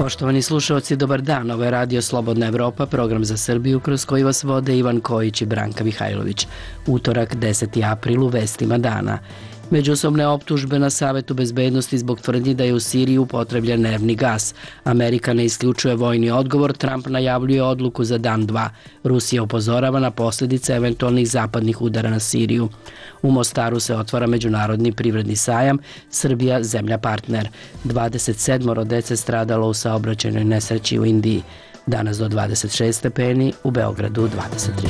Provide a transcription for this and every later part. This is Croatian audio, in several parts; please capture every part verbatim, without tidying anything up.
Poštovani slušalci, dobar dan. Ovo je Radio Slobodna Evropa, program za Srbiju kroz koji vas vode Ivan Kojić i Branka Mihajlović. Utorak, deseti april, u vestima dana. Međusobne optužbe na Savetu bezbednosti zbog tvrdnji da je u Siriji upotrebljen nervni gas. Amerika ne isključuje vojni odgovor, Trump najavljuje odluku za dan dva. Rusija upozorava na posljedice eventualnih zapadnih udara na Siriju. U Mostaru se otvara međunarodni privredni sajam, Srbija zemlja partner. dvadeset sedam dece stradalo u saobraćajnoj nesreći u Indiji. Danas do dvadeset šest stepeni, u Beogradu dvadeset tri.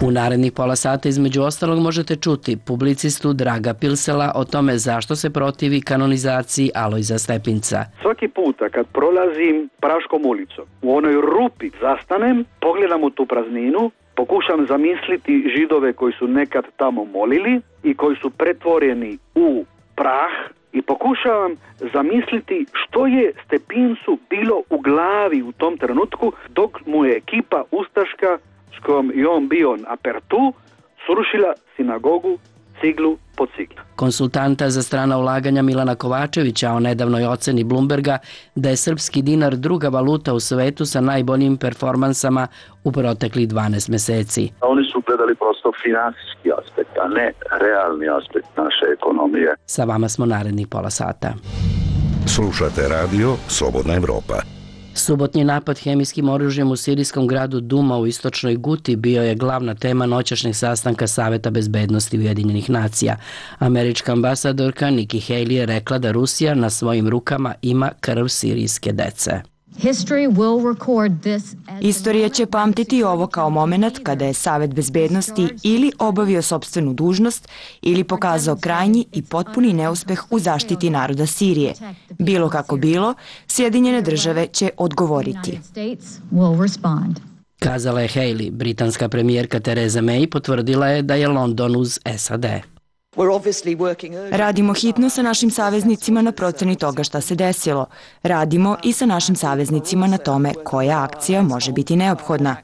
U narednih pola sata između ostalog možete čuti publicistu Draga Pilsela o tome zašto se protivi kanonizaciji Alojza Stepinca. Svaki puta kad prolazim Praškom ulicom, u onoj rupi zastanem, pogledam u tu prazninu, pokušam zamisliti Židove koji su nekad tamo molili i koji su pretvoreni u prah i pokušavam zamisliti što je Stepincu bilo u glavi u tom trenutku dok mu je ekipa ustaška s kojom je on bio na Pertu srušila sinagogu ciglu po ciglu. Konsultanta za strana ulaganja Milana Kovačevića o nedavnoj oceni Bloomberga da je srpski dinar druga valuta u svetu sa najboljim performansama u proteklih dvanaest meseci. Oni su gledali prosto finansijski aspekt, a ne realni aspekt naše ekonomije. Sa vama smo narednih pola sata. Slušate radio Slobodna Evropa. Subotnji napad hemijskim oružjem u sirijskom gradu Duma u istočnoj Guti bio je glavna tema noćašnjeg sastanka Saveta bezbednosti Ujedinjenih nacija. Američka ambasadorka Nikki Haley je rekla da Rusija na svojim rukama ima krv sirijske dece. Istorija će pamtiti ovo kao moment kada je Savet bezbednosti ili obavio sopstvenu dužnost ili pokazao krajnji i potpuni neuspeh u zaštiti naroda Sirije. Bilo kako bilo, Sjedinjene države će odgovoriti. Kazala je Haley. Britanska premijerka Theresa May potvrdila je da je London uz S A D. Radimo hitno sa našim saveznicima na proceni toga šta se desilo. Radimo i sa našim saveznicima na tome koja akcija može biti neophodna.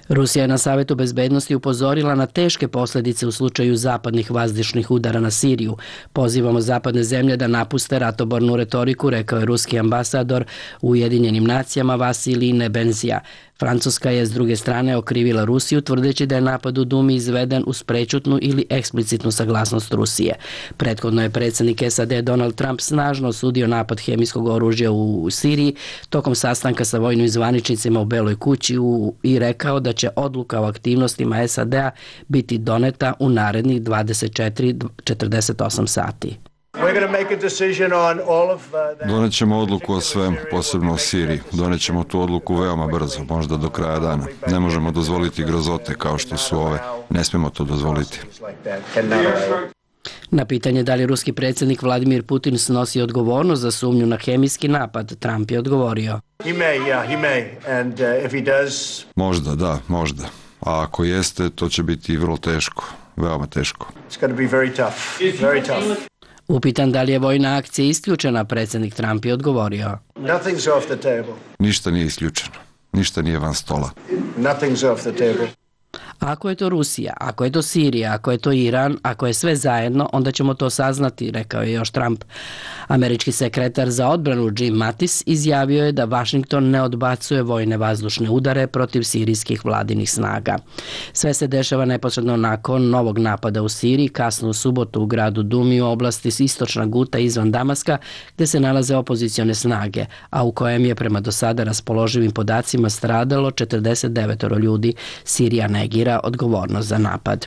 Rusija je na Savetu bezbednosti upozorila na teške posljedice u slučaju zapadnih vazdušnih udara na Siriju. Pozivamo zapadne zemlje da napuste ratobornu retoriku, rekao je ruski ambasador u Ujedinjenim nacijama Vasilij Nebenzija. Francuska je s druge strane okrivila Rusiju tvrdeći da je napad u Dumi izveden uz prečutnu ili eksplicitnu saglasnost Rusije. Prethodno je predsjednik S A D Donald Trump snažno osudio napad hemijskog oružja u Siriji tokom sastanka sa vojnim zvaničnicima u Beloj kući u, i rekao da će odluka o aktivnostima S A D-a biti doneta u narednih dvadeset četiri do četrdeset osam sati. Donet ćemo odluku o svem, posebno o Siriji. Donet ćemo tu odluku veoma brzo, možda do kraja dana. Ne možemo dozvoliti grozote kao što su ove. Ne smijemo to dozvoliti. Na pitanje da li ruski predsjednik Vladimir Putin snosi odgovornost za sumnju na hemijski napad, Trump je odgovorio. Možda, da, možda. A ako jeste, to će biti vrlo teško, veoma teško. Upitan da li je vojna akcija isključena, predsjednik Trump je odgovorio. Ništa nije isključeno. Ništa nije van stola. Ako je to Rusija, ako je to Sirija, ako je to Iran, ako je sve zajedno, onda ćemo to saznati, rekao je još Trump. Američki sekretar za odbranu Jim Mattis izjavio je da Washington ne odbacuje vojne vazdušne udare protiv sirijskih vladinih snaga. Sve se dešava neposredno nakon novog napada u Siriji, kasno u subotu u gradu Dumi u oblasti istočna Guta izvan Damaska, gdje se nalaze opozicione snage, a u kojem je prema do sada raspoloživim podacima stradalo četrdeset devet ljudi. Sirija negira odgovornost za napad.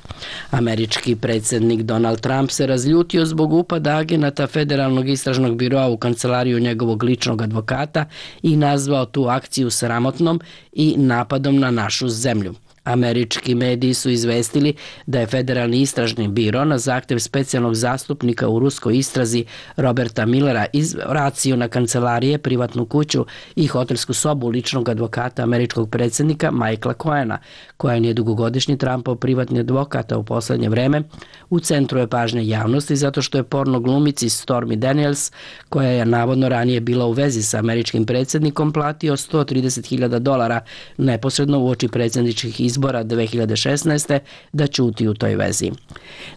Američki predsjednik Donald Trump se razljutio zbog upada agenata Federalnog istražnog biroa u kancelariju njegovog ličnog advokata i nazvao tu akciju sramotnom i napadom na našu zemlju. Američki mediji su izvestili da je Federalni istražni biro na zahtjev specijalnog zastupnika u ruskoj istrazi Roberta Millera izvracio na kancelarije, privatnu kuću i hotelsku sobu ličnog advokata američkog predsjednika Michaela Cohena, koja je dugogodišnji Trumpov privatni advokat, a u posljednje vreme u centru je pažnje javnosti zato što je porno glumici Stormy Daniels, koja je navodno ranije bila u vezi sa američkim predsjednikom, platio sto trideset hiljada dolara neposredno uoči predsjedničkih izbora izbora dve hiljade šesnaeste da ćuti u toj vezi.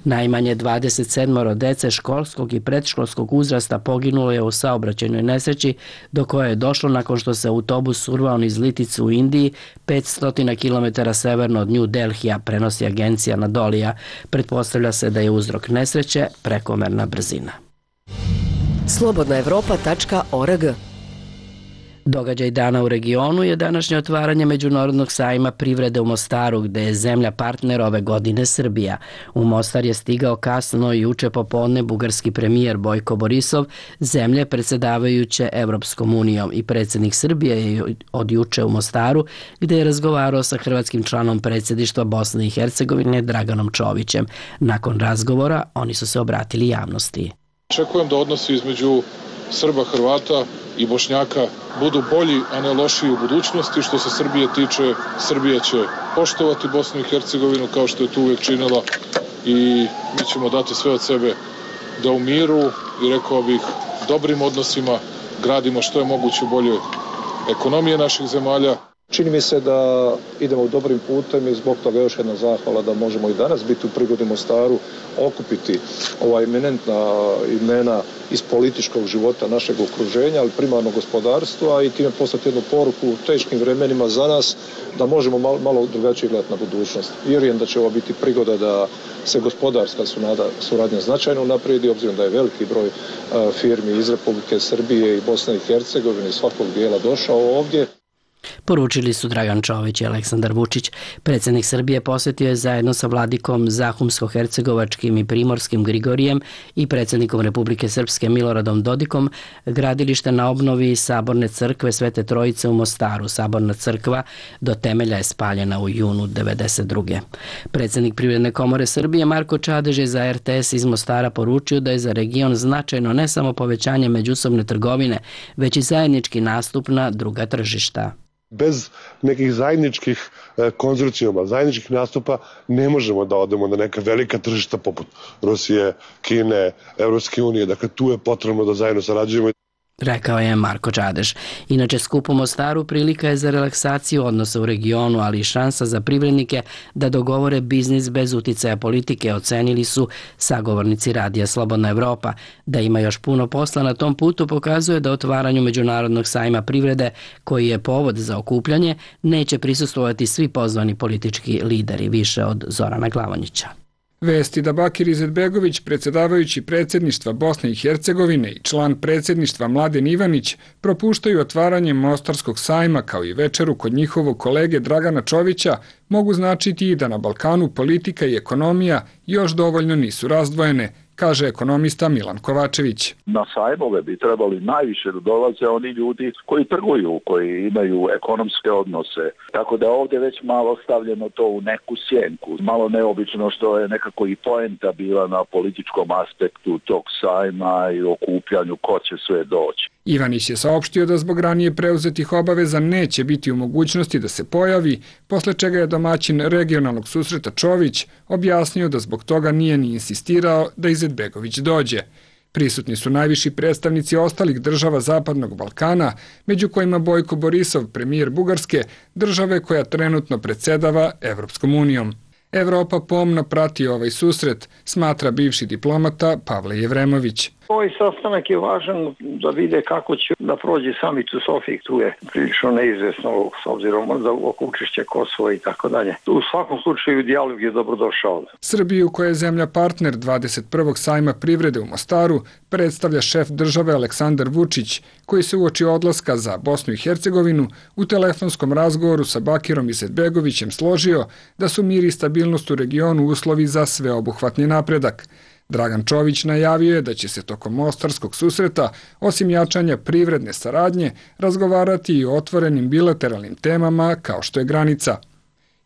Najmanje dvadeset sedam dece školskog i predškolskog uzrasta poginulo je u saobraćajnoj nesreći do koje je došlo nakon što se autobus urvao niz Liticu u Indiji, petsto kilometara severno od New Delhija, prenosi agencija Anadolija. Pretpostavlja se da je uzrok nesreće prekomerna brzina. slobodna evropa tačka org. Događaj dana u regionu je današnje otvaranje Međunarodnog sajma privrede u Mostaru, gde je zemlja partner ove godine Srbija. U Mostar je stigao kasno juče popodne bugarski premijer Bojko Borisov, zemlje predsjedavajuće Evropskom unijom, i predsjednik Srbije je od juče u Mostaru, gde je razgovarao sa hrvatskim članom predsjedništva Bosne i Hercegovine Draganom Čovićem. Nakon razgovora oni su se obratili javnosti. Očekujem da odnosi između Srba, Hrvata i Bošnjaka budu bolji, a ne lošiji u budućnosti. Što se Srbije tiče, Srbija će poštovati Bosnu i Hercegovinu kao što je to uvijek činila i mi ćemo dati sve od sebe da u miru i, rekao bih, dobrim odnosima gradimo što je moguće bolje ekonomije naših zemalja. Čini mi se da idemo dobrim putem i zbog toga još jedna zahvala da možemo i danas biti u prigodi u Mostaru, okupiti ova eminentna imena iz političkog života našeg okruženja, ali primarno gospodarstva, i time poslati jednu poruku u teškim vremenima za nas da možemo malo, malo drugačije gledati na budućnost. Vjerujem da će ovo biti prigoda da se gospodarska suradnja značajno unaprijedi, obzirom da je veliki broj firmi iz Republike Srbije i Bosne i Hercegovine iz svakog dijela došao ovdje. Poručili su Dragan Čović i Aleksandar Vučić. Predsjednik Srbije posjetio je zajedno sa vladikom Zahumsko-hercegovačkim i primorskim Grigorijem i predsjednikom Republike Srpske Miloradom Dodikom gradilište na obnovi Saborne crkve Svete Trojice u Mostaru. Saborna crkva do temelja je spaljena u junu devedeset druge. Predsjednik Privredne komore Srbije Marko Čadež je za R T S iz Mostara poručio da je za region značajno ne samo povećanje međusobne trgovine, već i zajednički nastup na druga tržišta. Bez nekih zajedničkih konzorcijuma, zajedničkih nastupa ne možemo da odemo na neka velika tržišta poput Rusije, Kine, Evropske unije. Dakle, tu je potrebno da zajedno sarađujemo. Rekao je Marko Čadež. Inače, skup u Mostaru prilika je za relaksaciju odnosa u regionu, ali i šansa za privrednike da dogovore biznis bez uticaja politike, ocenili su sagovornici Radija Slobodna Evropa. Da ima još puno posla na tom putu pokazuje da otvaranju Međunarodnog sajma privrede, koji je povod za okupljanje, neće prisustvovati svi pozvani politički lideri, više od Zorana Glavonjića. Vesti da Bakir Izetbegović, predsjedavajući predsjedništva Bosne i Hercegovine i član predsjedništva Mladen Ivanić, propuštaju otvaranje Mostarskog sajma kao i večeru kod njihovog kolege Dragana Čovića, mogu značiti i da na Balkanu politika i ekonomija još dovoljno nisu razdvojene, kaže ekonomista Milan Kovačević. Na sajmove bi trebali najviše da dolaze oni ljudi koji trguju, koji imaju ekonomske odnose. Tako da ovdje već malo stavljeno to u neku sjenku. Malo neobično što je nekako i poenta bila na političkom aspektu tog sajma i okupljanju ko će sve doći. Ivanić je saopštio da zbog ranije preuzetih obaveza neće biti u mogućnosti da se pojavi, posle čega je domaćin regionalnog susreta Čović objasnio da zbog toga nije ni insistirao da Izetbegović dođe. Prisutni su najviši predstavnici ostalih država Zapadnog Balkana, među kojima Bojko Borisov, premijer Bugarske, države koja trenutno predsjedava Evropskom unijom. Evropa pomno prati ovaj susret, smatra bivši diplomata Pavle Jevremović. Ovaj sastanak je važan da vide kako će da prođe samit u Sofiji, tu je prilično neizvesno s obzirom da oko učešća Kosova i tako dalje. U svakom slučaju dijalog je dobrodošao. Srbiju, koja je zemlja partner dvadeset prvog sajma privrede u Mostaru, predstavlja šef države Aleksandar Vučić, koji se uoči odlaska za Bosnu i Hercegovinu u telefonskom razgovoru sa Bakirom Izetbegovićem složio da su mir i stabilnost u regionu uslovi za sveobuhvatni napredak. Dragan Čović najavio je da će se tokom mostarskog susreta, osim jačanja privredne saradnje, razgovarati i o otvorenim bilateralnim temama kao što je granica.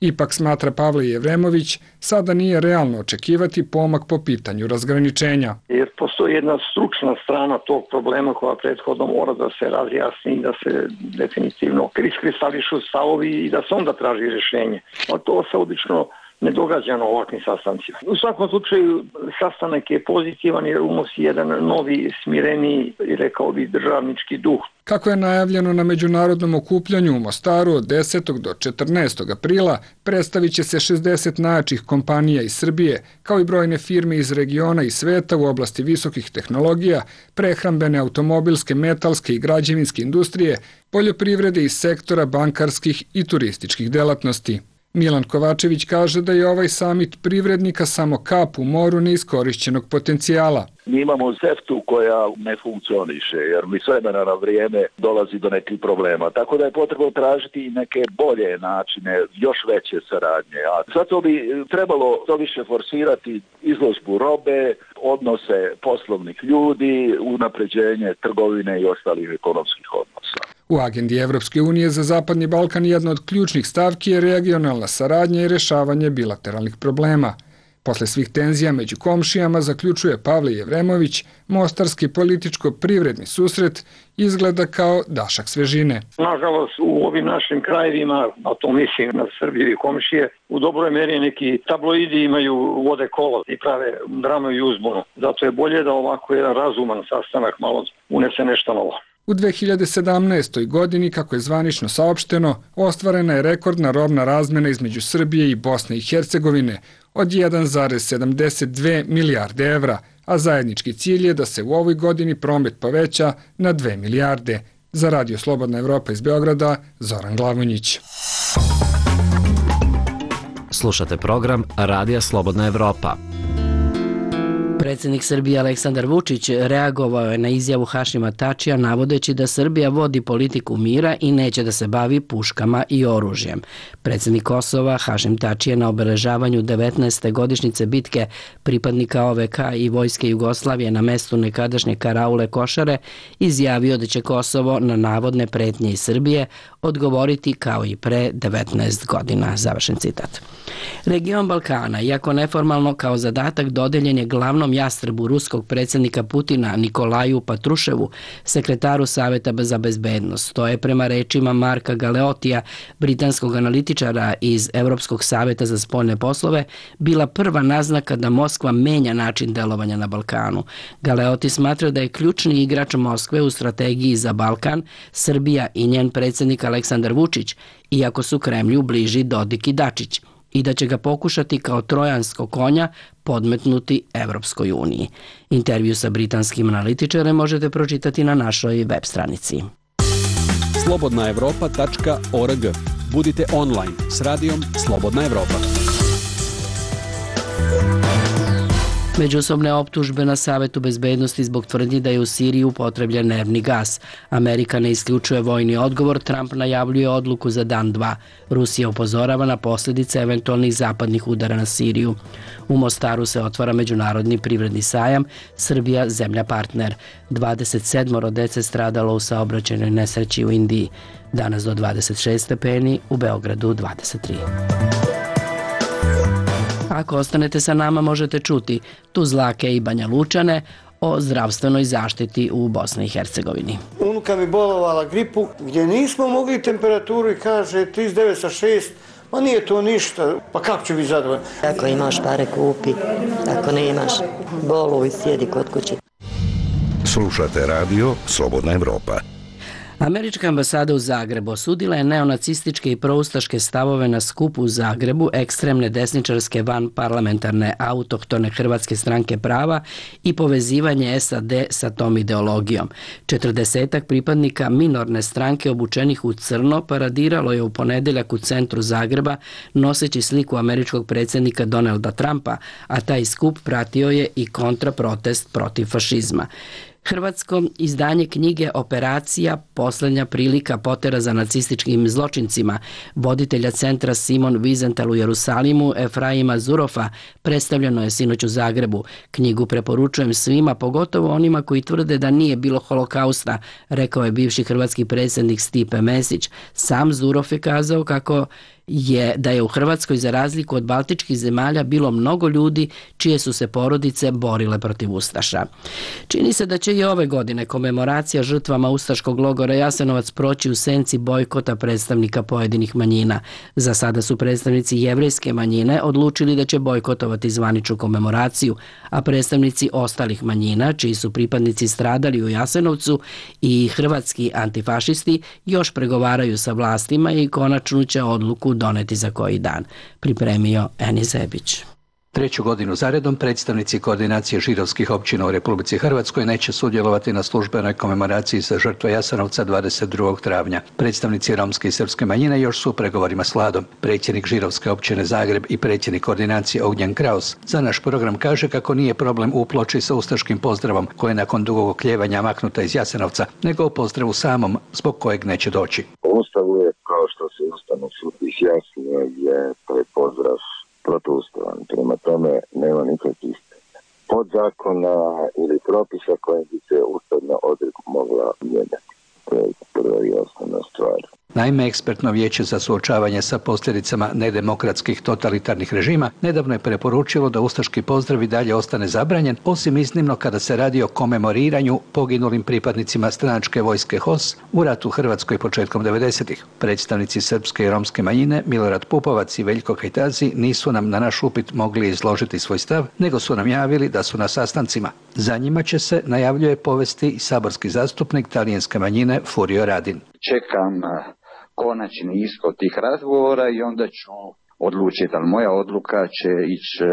Ipak, smatra Pavle Jevremović, sada nije realno očekivati pomak po pitanju razgraničenja. Jer postoji jedna stručna strana tog problema koja prethodno mora da se razjasni i da se definitivno iskristališu stavovi i da se onda traži rješenje. A to se obično ne događa na ovakvim sastancima. U svakom slučaju sastanak je pozitivan jer unosi jedan novi, smireni i rekao bi državnički duh. Kako je najavljeno na međunarodnom okupljanju u Mostaru od desetog do četrnaestog aprila, predstavit će se šezdeset najjačih kompanija iz Srbije, kao i brojne firme iz regiona i sveta u oblasti visokih tehnologija, prehrambene, automobilske, metalske i građevinske industrije, poljoprivrede i sektora bankarskih i turističkih delatnosti. Milan Kovačević kaže da je ovaj samit privrednika samo kap u moru neiskorišćenog potencijala. Mi imamo seftu koja ne funkcioniše, jer mi s vremena na vrijeme dolazi do nekih problema. Tako da je potrebno tražiti i neke bolje načine, još veće saradnje. A zato bi trebalo to više forsirati izložbu robe, odnose poslovnih ljudi, unapređenje trgovine i ostalih ekonomskih odnosa. U agendi Evropske unije za Zapadni Balkan jedna od ključnih stavki je regionalna saradnja i rešavanje bilateralnih problema. Posle svih tenzija među komšijama, zaključuje Pavle Jevremović, mostarski političko-privredni susret izgleda kao dašak svežine. Nažalost, u ovim našim krajevima, a to mislim na Srbiju i komšije, u dobroj meri neki tabloidi imaju vode kolo i prave dramu i uzbunu. Zato je bolje da ovako jedan razuman sastanak malo unese nešto novo. U dve hiljade sedamnaestoj. godini, kako je zvanično saopšteno, ostvarena je rekordna robna razmena između Srbije i Bosne i Hercegovine od jedan zarez sedamdeset dve milijarde evra, a zajednički cilj je da se u ovoj godini promet poveća na dve milijarde. Za Radio Slobodna Evropa iz Beograda, Zoran Glavonjić. Slušate program Radija Slobodna Evropa. Predsjednik Srbije Aleksandar Vučić reagovao je na izjavu Hašima Tačija navodeći da Srbija vodi politiku mira i neće da se bavi puškama i oružjem. Predsjednik Kosova Hašim Tači je na obeležavanju devetnaeste godišnjice bitke pripadnika O V K i Vojske Jugoslavije na mestu nekadašnje karaule Košare izjavio da će Kosovo na navodne pretnje iz Srbije odgovoriti kao i pre devetnaest godina. Završen citat. Region Balkana, iako neformalno kao zadatak dodeljen je glavnom jastrebu ruskog predsjednika Putina Nikolaju Patruševu, sekretaru Saveta za bezbednost. To je prema rečima Marka Galeotija, britanskog analitičara iz Europskog saveta za spoljne poslove, bila prva naznaka da Moskva menja način delovanja na Balkanu. Galeoti smatra da je ključni igrač Moskve u strategiji za Balkan Srbija i njen predsjednik Aleksandar Vučić, iako su Kremlju bliži Dodik i Dačić, i da će ga pokušati kao trojanskog konja podmetnuti Evropskoj uniji. Intervju sa britanskim analitičarem možete pročitati na našoj web stranici. slobodna evropa tačka org. Budite online s radijom Slobodna Evropa. Međusobne optužbe na Savetu bezbednosti zbog tvrdnji da je u Siriji upotrebljen nervni gas. Amerika ne isključuje vojni odgovor, Trump najavljuje odluku za dan dva. Rusija upozorava na posljedice eventualnih zapadnih udara na Siriju. U Mostaru se otvara međunarodni privredni sajam, Srbija zemlja partner. dvadeset sedam dece stradalo u saobraćajnoj nesreći u Indiji. Danas do dvadeset šest stepeni, u Beogradu dvadeset tri. Ako ostanete sa nama možete čuti Tuzlake i Banja Lučane o zdravstvenoj zaštiti u Bosni i Hercegovini. Unuka mi bolovala gripu gdje nismo mogli temperaturu i kaže trideset devet sa šest, ma nije to ništa, pa kako ću biti zadovoljno? Ako imaš pare kupi, ako ne imaš boluj sjedi kod kuće. Slušate radio Slobodna Evropa. Američka ambasada u Zagrebu osudila je neonacističke i proustaške stavove na skupu u Zagrebu ekstremne desničarske vanparlamentarne autohtone Hrvatske stranke prava i povezivanje S A D sa tom ideologijom. Četrdesetak pripadnika minorne stranke obučenih u crno paradiralo je u ponedeljak u centru Zagreba noseći sliku američkog predsjednika Donalda Trumpa, a taj skup pratio je i kontraprotest protiv fašizma. Hrvatsko izdanje knjige Operacija, posljednja prilika potera za nacističkim zločincima, voditelja centra Simon Wiesenthal u Jerusalimu, Efraima Zurofa, predstavljeno je sinoć u Zagrebu. Knjigu preporučujem svima, pogotovo onima koji tvrde da nije bilo holokausta, rekao je bivši hrvatski predsjednik Stipe Mesić. Sam Zurof je kazao kako je da je u Hrvatskoj za razliku od baltičkih zemalja bilo mnogo ljudi čije su se porodice borile protiv ustaša. Čini se da će i ove godine komemoracija žrtvama ustaškog logora Jasenovac proći u senci bojkota predstavnika pojedinih manjina. Za sada su predstavnici jevrejske manjine odlučili da će bojkotovati zvaničnu komemoraciju, a predstavnici ostalih manjina, čiji su pripadnici stradali u Jasenovcu, i hrvatski antifašisti još pregovaraju sa vlastima i konačnu će odluku doneti za koji dan, pripremio Eni Zebić. Treću godinu zaredom predstavnici koordinacije židovskih općina u Republici Hrvatskoj neće sudjelovati na službenoj komemoraciji za žrtve Jasenovca dvadeset drugog travnja. Predstavnici romske i srpske manjine još su u pregovorima s vladom. Predsjednik židovske općine Zagreb i predsjednik koordinacije Ognjen Kraus za naš program kaže kako nije problem u ploči sa ustaškim pozdravom koja je nakon dugog oklijevanja maknuta iz Jasenovca, nego u pozdravu samom zbog kojeg neće doći. Ustavu je, kao što se Ustavni sud izjasnio, je taj pozdrav protuustavan. Prema tome nema nikakvih podzakona ili propisa koje bi se ustavna odredba mogla mijenjati. To je prva i osnovna stvar. Naime, ekspertno vijeće za suočavanje sa posljedicama nedemokratskih totalitarnih režima nedavno je preporučilo da ustaški pozdrav i dalje ostane zabranjen, osim iznimno kada se radi o komemoriranju poginulim pripadnicima stranačke vojske H O S u ratu u Hrvatskoj početkom devedesetih. Predstavnici srpske i romske manjine Milorad Pupovac i Veljko Kajtazi nisu nam na naš upit mogli izložiti svoj stav, nego su nam javili da su na sastancima. Za njima će se, najavljuje, povesti i saborski zastupnik talijanske manjine Furio Radin. Čekam konačni ishod tih razgovora i onda ću odlučiti, ali moja odluka će ići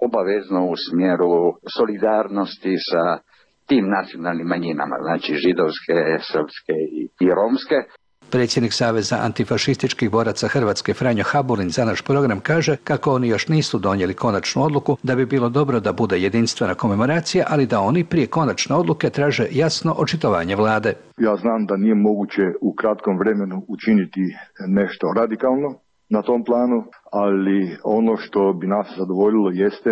obavezno u smjeru solidarnosti sa tim nacionalnim manjinama, znači židovske, srpske i, i romske. Predsjednik Saveza antifašističkih boraca Hrvatske Franjo Habulin za naš program kaže kako oni još nisu donijeli konačnu odluku, da bi bilo dobro da bude jedinstvena komemoracija, ali da oni prije konačne odluke traže jasno očitovanje vlade. Ja znam da nije moguće u kratkom vremenu učiniti nešto radikalno na tom planu, ali ono što bi nas zadovoljilo jeste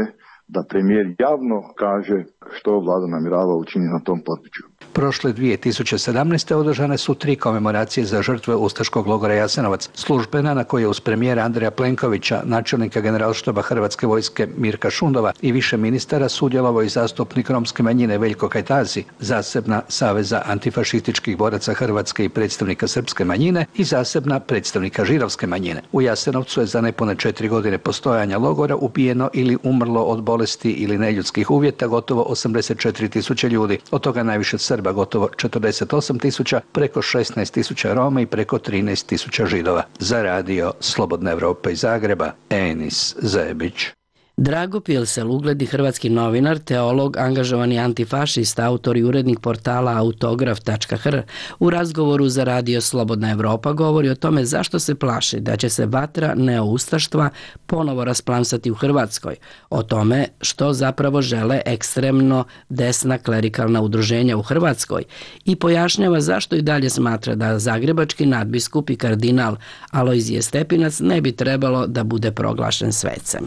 da premijer javno kaže što vlada namjerava učiniti na tom području. Prošle dvije tisuće sedamnaeste. održane su tri komemoracije za žrtve ustaškog logora Jasenovac. Službena na kojoj je uz premijera Andreja Plenkovića, načelnika generalštaba Hrvatske vojske Mirka Šundova i više ministara sudjelovao i zastupnik romske manjine Veljko Kajtazi, zasebna Saveza antifašističkih boraca Hrvatske i predstavnika srpske manjine i zasebna predstavnika židovske manjine. U Jasenovcu je za nepune četiri godine postojanja logora ubijeno ili umrlo od bolesti ili neljudskih uvjeta gotovo osamdeset četiri tisuće ljudi, od toga najviše Srba gotovo četrdeset osam tisuća, preko šesnaest tisuća Roma i preko trinaest tisuća Židova. Za radio Slobodna Evropa iz Zagreba, Enis Zebić. Drago Pilsel, ugledni hrvatski novinar, teolog, angažovani antifašista, autor i urednik portala autograf tačka h r, u razgovoru za radio Slobodna Evropa govori o tome zašto se plaši da će se vatra neoustaštva ponovo rasplamsati u Hrvatskoj, o tome što zapravo žele ekstremno desna klerikalna udruženja u Hrvatskoj i pojašnjava zašto i dalje smatra da zagrebački nadbiskup i kardinal Alojzije Stepinac ne bi trebalo da bude proglašen svecem.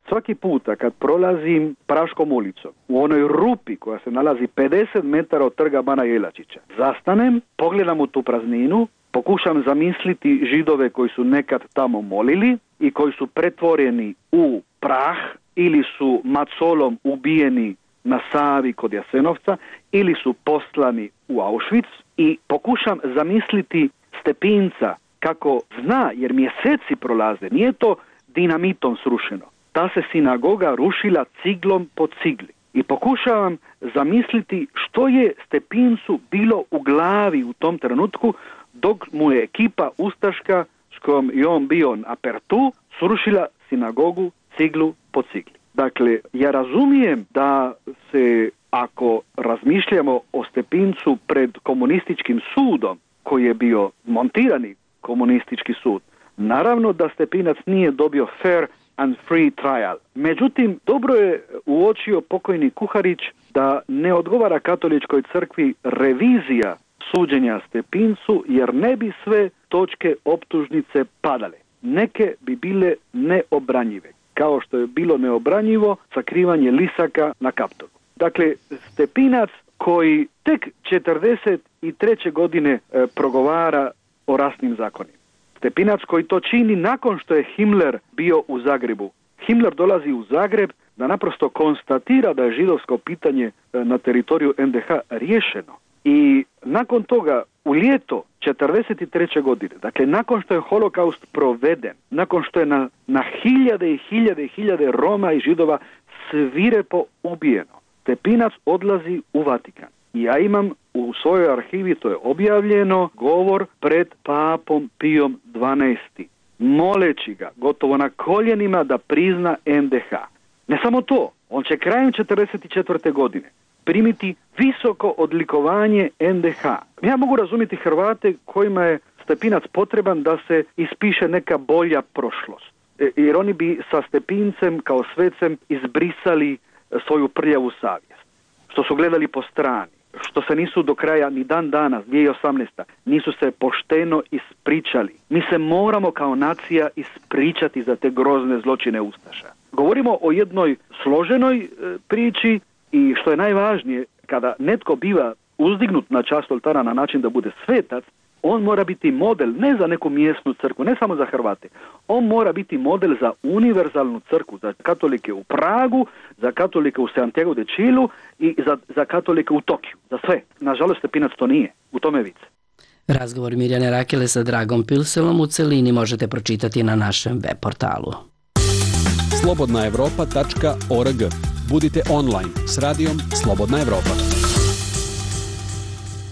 Svaki puta kad prolazim Praškom ulicom, u onoj rupi koja se nalazi pedeset metara od trga Bana Jelačića, zastanem, pogledam u tu prazninu, pokušam zamisliti Židove koji su nekad tamo molili i koji su pretvoreni u prah ili su macolom ubijeni na Savi kod Jasenovca ili su poslani u Auschwitz i pokušam zamisliti Stepinca kako zna, jer mjeseci prolaze, nije to dinamitom srušeno. Ta se sinagoga rušila ciglom po cigli. I pokušavam zamisliti što je Stepincu bilo u glavi u tom trenutku dok mu je ekipa ustaška s kojom je on bio na apertu srušila sinagogu ciglu po cigli. Dakle, ja razumijem da se, ako razmišljamo o Stepincu pred komunističkim sudom, koji je bio montirani komunistički sud, naravno da Stepinac nije dobio fair and free trial. Međutim, dobro je uočio pokojni Kuharić da ne odgovara katoličkoj crkvi revizija suđenja Stepincu, jer ne bi sve točke optužnice padale. Neke bi bile neobranjive, kao što je bilo neobranjivo sakrivanje lisaka na Kaptolu. Dakle, Stepinac koji tek četrdeset treće godine e, progovara o rasnim zakonima. Stepinac koji to čini nakon što je Himmler bio u Zagrebu. Himmler dolazi u Zagreb da naprosto konstatira da je židovsko pitanje na teritoriju en de ha riješeno. I nakon toga, u ljeto četrdeset treće godine, dakle nakon što je holokaust proveden, nakon što je na, na hiljade i hiljade i hiljade Roma i Židova svirepo ubijeno, Stepinac odlazi u Vatikan. I ja imam u svojoj arhivi, to je objavljeno, govor pred papom Pijom dvanaestim, moleći ga gotovo na koljenima da prizna en de ha. Ne samo to, on će krajem četrdeset četvrte godine primiti visoko odlikovanje en de ha. Ja mogu razumjeti Hrvate kojima je Stepinac potreban da se ispiše neka bolja prošlost. E, jer oni bi sa Stepincem kao svecem izbrisali svoju prljavu savjest. Što su gledali po strani, što se nisu do kraja ni dan danas, dvije tisuće osamnaeste. nisu se pošteno ispričali. Mi se moramo kao nacija ispričati za te grozne zločine ustaša. Govorimo o jednoj složenoj e, priči i što je najvažnije, kada netko biva uzdignut na čast oltara na način da bude svetac, on mora biti model ne za neku mjesnu crkvu, ne samo za Hrvate. On mora biti model za univerzalnu crkvu, za katolike u Pragu, za katolike u Santiago de Chilu i za, za katolike u Tokiju, za sve. Nažalost, Stepinac to nije, u tome vic. Razgovor Mirjane Rakele sa Dragom Pilselom u celini možete pročitati na našem web portalu. slobodna evropa tačka org. Budite online s radijom Slobodna Evropa.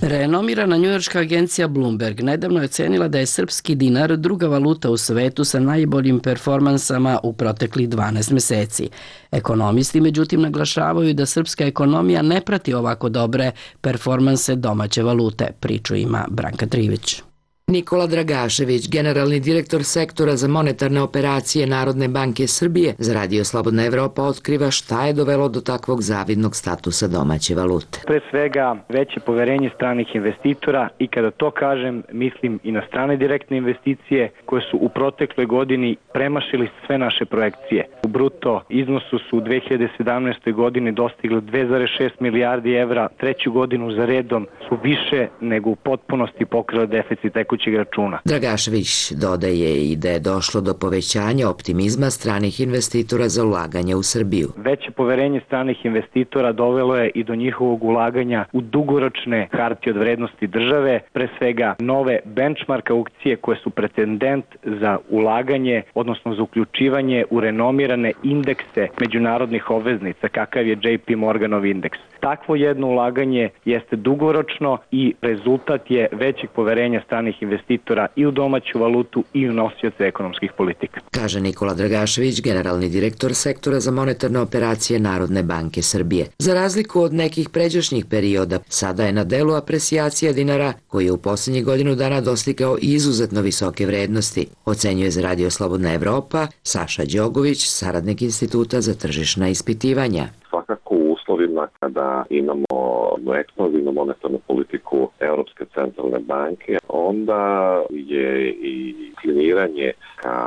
Renomirana njujorška agencija Bloomberg nedavno je ocenila da je srpski dinar druga valuta u svetu sa najboljim performansama u proteklih dvanaest meseci. Ekonomisti međutim naglašavaju da srpska ekonomija ne prati ovako dobre performanse domaće valute. Priču ima Branka Trivić. Nikola Dragašević, generalni direktor sektora za monetarne operacije Narodne banke Srbije, za Radio Slobodna Evropa otkriva šta je dovelo do takvog zavidnog statusa domaće valute. Pre svega veće poverenje stranih investitora i kada to kažem mislim i na strane direktne investicije koje su u protekloj godini premašili sve naše projekcije. U bruto iznosu su u dve hiljade sedamnaestoj godini dostigli dve zarez šest milijardi evra, treću godinu za redom su više nego u potpunosti pokrile deficit tekućeg računa. Dragašević dodaje i da je došlo do povećanja optimizma stranih investitora za ulaganje u Srbiju. Veće poverenje stranih investitora dovelo je i do njihovog ulaganja u dugoročne hartije od vrednosti države, pre svega nove benchmark aukcije koje su pretendent za ulaganje, odnosno za uključivanje u renomirane indekse međunarodnih obveznica, kakav je J P Morganov indeks. Takvo jedno ulaganje jeste dugoročno i rezultat je većeg poverenja stranih investitora i u domaću valutu i u nosioce ekonomskih politika. Kaže Nikola Dragašević, generalni direktor sektora za monetarne operacije Narodne banke Srbije. Za razliku od nekih pređašnjih perioda, sada je na delu apresijacija dinara koji je u posljednjih godinu dana dostigao izuzetno visoke vrednosti, ocenjuje za Radio Slobodna Evropa Saša Đogović, saradnik Instituta za tržišna ispitivanja. Svakako u uslovima kada imamo ekspanzivnu monetarnu politiku Europske centralne banke, onda je i kliniranje ka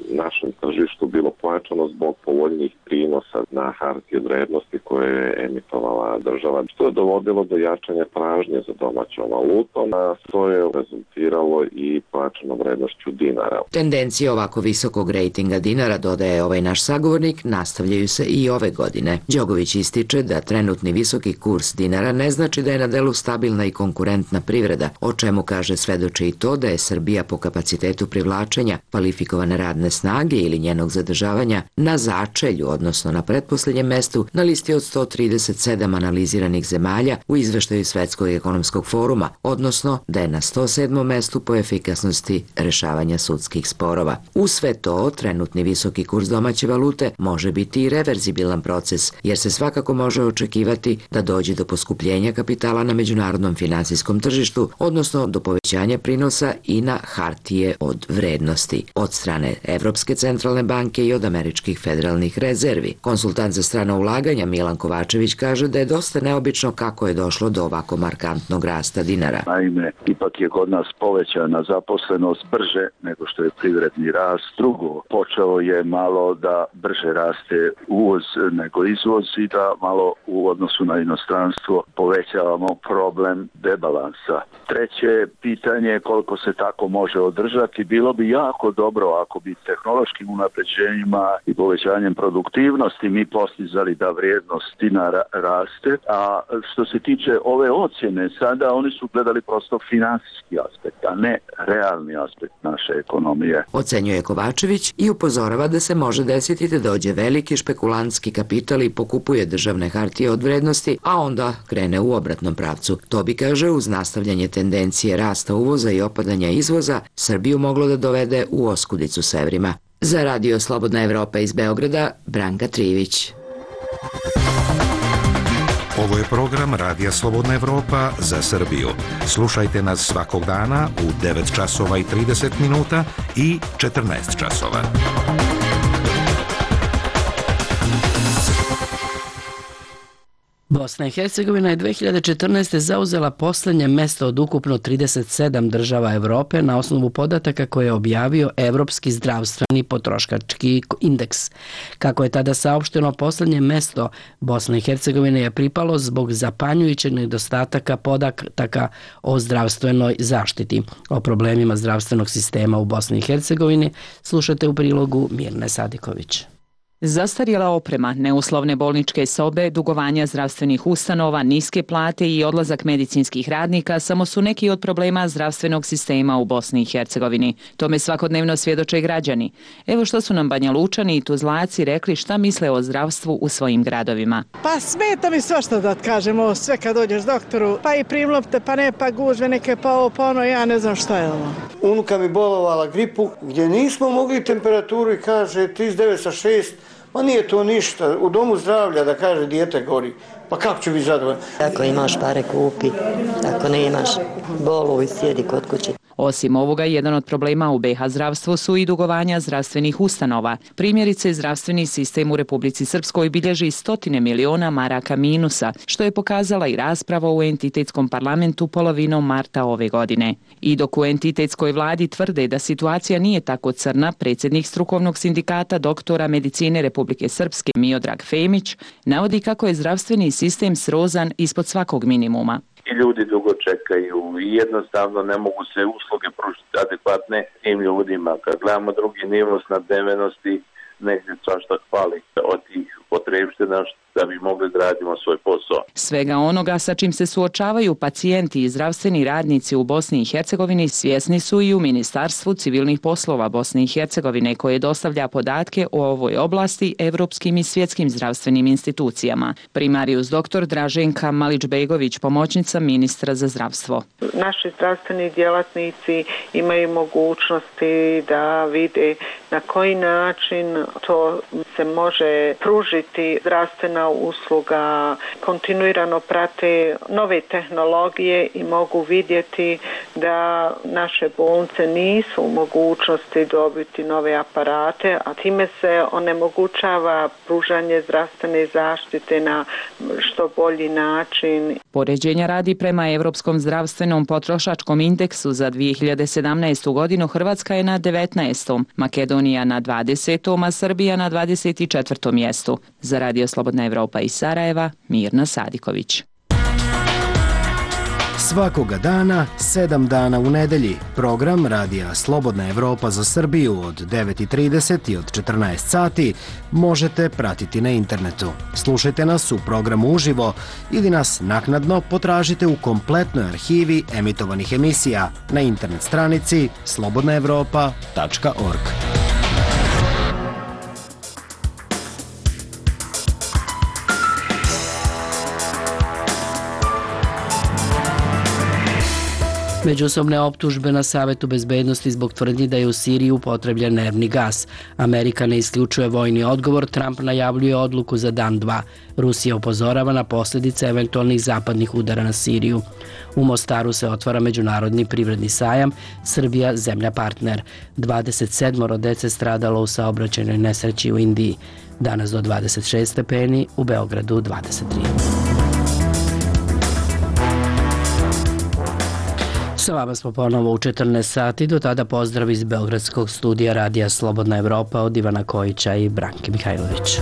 našem tržištu bilo pojačano zbog povoljnih prinosa na hartije od vrednosti koje je emitovala država, što je dovodilo do jačanja tražnje za domaćom valutom, a to je rezultiralo i pojačanom vrednošću dinara. Tendencije ovako visokog rejtinga dinara, dodaje ovaj naš sagovornik, nastavljaju se i ove godine. Đogović ističe da trenutni visoki kurs dinara ne znači da je na delu stabilna i konkurentna privreda, o čemu kaže svedoči i to da je Srbija po kapacitetu privlačenja kvalifikovane radne snage ili njenog zadržavanja na začelju, odnosno na pretposlednjem mestu na listi od sto trideset sedam analiziranih zemalja u izveštaju Svetskog ekonomskog foruma, odnosno da je na sto sedmom mestu po efikasnosti rešavanja sudskih sporova. Uz sve to, trenutni visoki kurs domaće valute može biti i reverzibilan proces, jer se svakako može očekivati da dođe do poskupljenja kapitala na međunarodnom finansijskom tržištu, odnosno do povećanja prinosa i na hartije od vrednosti od strane Evropske centralne banke i od američkih federalnih rezervi. Konsultant za strana ulaganja Milan Kovačević kaže da je dosta neobično kako je došlo do ovako markantnog rasta dinara. Naime, ipak je kod nas povećana zaposlenost brže nego što je privredni rast. Drugo, počeo je malo da brže raste uvoz nego izvoz i da malo u odnosu na inostranstvo povećavamo problem debalansa. Treće pitanje je koliko se tako može održati. Bilo bi jako dobro ako bi tehnološkim unapređenjima i povećanjem produktivnosti mi postizali da vrijednost dinara raste. A što se tiče ove ocjene, sada oni su gledali prosto finansijski aspekt, a ne realni aspekt naše ekonomije. Ocenjuje Kovačević i upozorava da se može desiti da dođe veliki špekulantski kapital i pokupuje državne hartije od vrednosti, a onda krene u obratnom pravcu. To bi, kaže, uz nastavljanje tendencije rasta uvoza i opadanja izvoza, Srbiju moglo da dovede u oskudicu s evrima. Za Radio Slobodna Evropa iz Beograda, Branka Trivić. Ovo je program Radija Slobodna Evropa za Srbiju. Slušajte nas svakog dana u devet časova i trideset minuta i četrnaest časova. Bosna i Hercegovina je dve hiljade četrnaeste. zauzela poslednje mesto od ukupno trideset sedam država Evrope na osnovu podataka koje je objavio Evropski zdravstveni potrošački indeks. Kako je tada saopšteno, poslednje mesto Bosne i Hercegovine je pripalo zbog zapanjujućeg nedostataka podataka o zdravstvenoj zaštiti. O problemima zdravstvenog sistema u Bosni i Hercegovini slušate u prilogu Mirne Sadiković. Zastarjela oprema, neuslovne bolničke sobe, dugovanja zdravstvenih ustanova, niske plate i odlazak medicinskih radnika samo su neki od problema zdravstvenog sistema u Bosni i Hercegovini. Tome svakodnevno svjedoče građani. Evo što su nam Banja Lučani i Tuzlaci rekli šta misle o zdravstvu u svojim gradovima. Pa smeta mi svašta da kažemo, sve kad dođeš doktoru, pa i primlopte, pa ne, pa gužve neke, pa ovo, pa ono, ja ne znam šta je ovo. Unuka mi bolovala gripu, gdje nismo mogli temperaturu i kaže trideset devet sa šest. Ma nije to ništa, u domu zdravlja da kaže dijete gori, pa kako ću biti zadovoljan? Ako imaš pare kupi, ako ne imaš boluj, sjedi kod kuće. Osim ovoga, jedan od problema u be ha zdravstvu su i dugovanja zdravstvenih ustanova. Primjerice, zdravstveni sistem u Republici Srpskoj bilježi stotine miliona maraka minusa, što je pokazala i rasprava u entitetskom parlamentu polovinom marta ove godine. I dok u entitetskoj vladi tvrde da situacija nije tako crna, predsjednik strukovnog sindikata doktora medicine Republike Srpske Miodrag Femić navodi kako je zdravstveni sistem srozan ispod svakog minimuma. I ljudi dugo čekaju i jednostavno ne mogu se usluge pružiti adekvatne tim ljudima. Kad gledamo drugi nivo snabdevenosti, negdje svašta hvali od tih potrebština da bi mogli da radimo svoj posao. Svega onoga sa čim se suočavaju pacijenti i zdravstveni radnici u Bosni i Hercegovini svjesni su i u Ministarstvu civilnih poslova Bosne i Hercegovine koje dostavlja podatke o ovoj oblasti evropskim i svjetskim zdravstvenim institucijama. Primarius doktor Draženka Malić-Begović, pomoćnica ministra za zdravstvo. Naši zdravstveni djelatnici imaju mogućnosti da vide na koji način to se može pružiti zdravstvena usluga, kontinuirano prate nove tehnologije i mogu vidjeti da naše bolnice nisu u mogućnosti dobiti nove aparate, a time se onemogućava pružanje zdravstvene zaštite na što bolji način. Poređenja radi prema Evropskom zdravstvenom potrošačkom indeksu za dvije hiljade sedamnaestu. godinu Hrvatska je na devetnaestom, Makedonija na dvadesetom, a Srbija na dvadeset četvrtom mjestu. Za Radio Slobodna Evropa iz Sarajeva, Mirna Sadiković. Svakoga dana, sedam dana u nedelji, program Radija Slobodna Evropa za Srbiju od devet i trideset i od četrnaest sati možete pratiti na internetu. Slušajte nas u programu uživo ili nas naknadno potražite u kompletnoj arhivi emitovanih emisija na internet stranici slobodna evropa tačka org. Međusobne optužbe na Savetu bezbednosti zbog tvrdnji da je u Siriji upotrebljen nervni gas. Amerika ne isključuje vojni odgovor, Trump najavljuje odluku za dan dva. Rusija upozorava na posljedice eventualnih zapadnih udara na Siriju. U Mostaru se otvara međunarodni privredni sajam, Srbija zemlja partner. dvadeset sedam dece stradalo u saobraćajnoj nesreći u Indiji. Danas do dvadeset šest stepeni, u Beogradu dvadeset tri. Sa vama smo ponovo u četrnaest sati, do tada pozdrav iz Beogradskog studija Radija Slobodna Evropa od Ivana Kojića i Branke Mihajlović.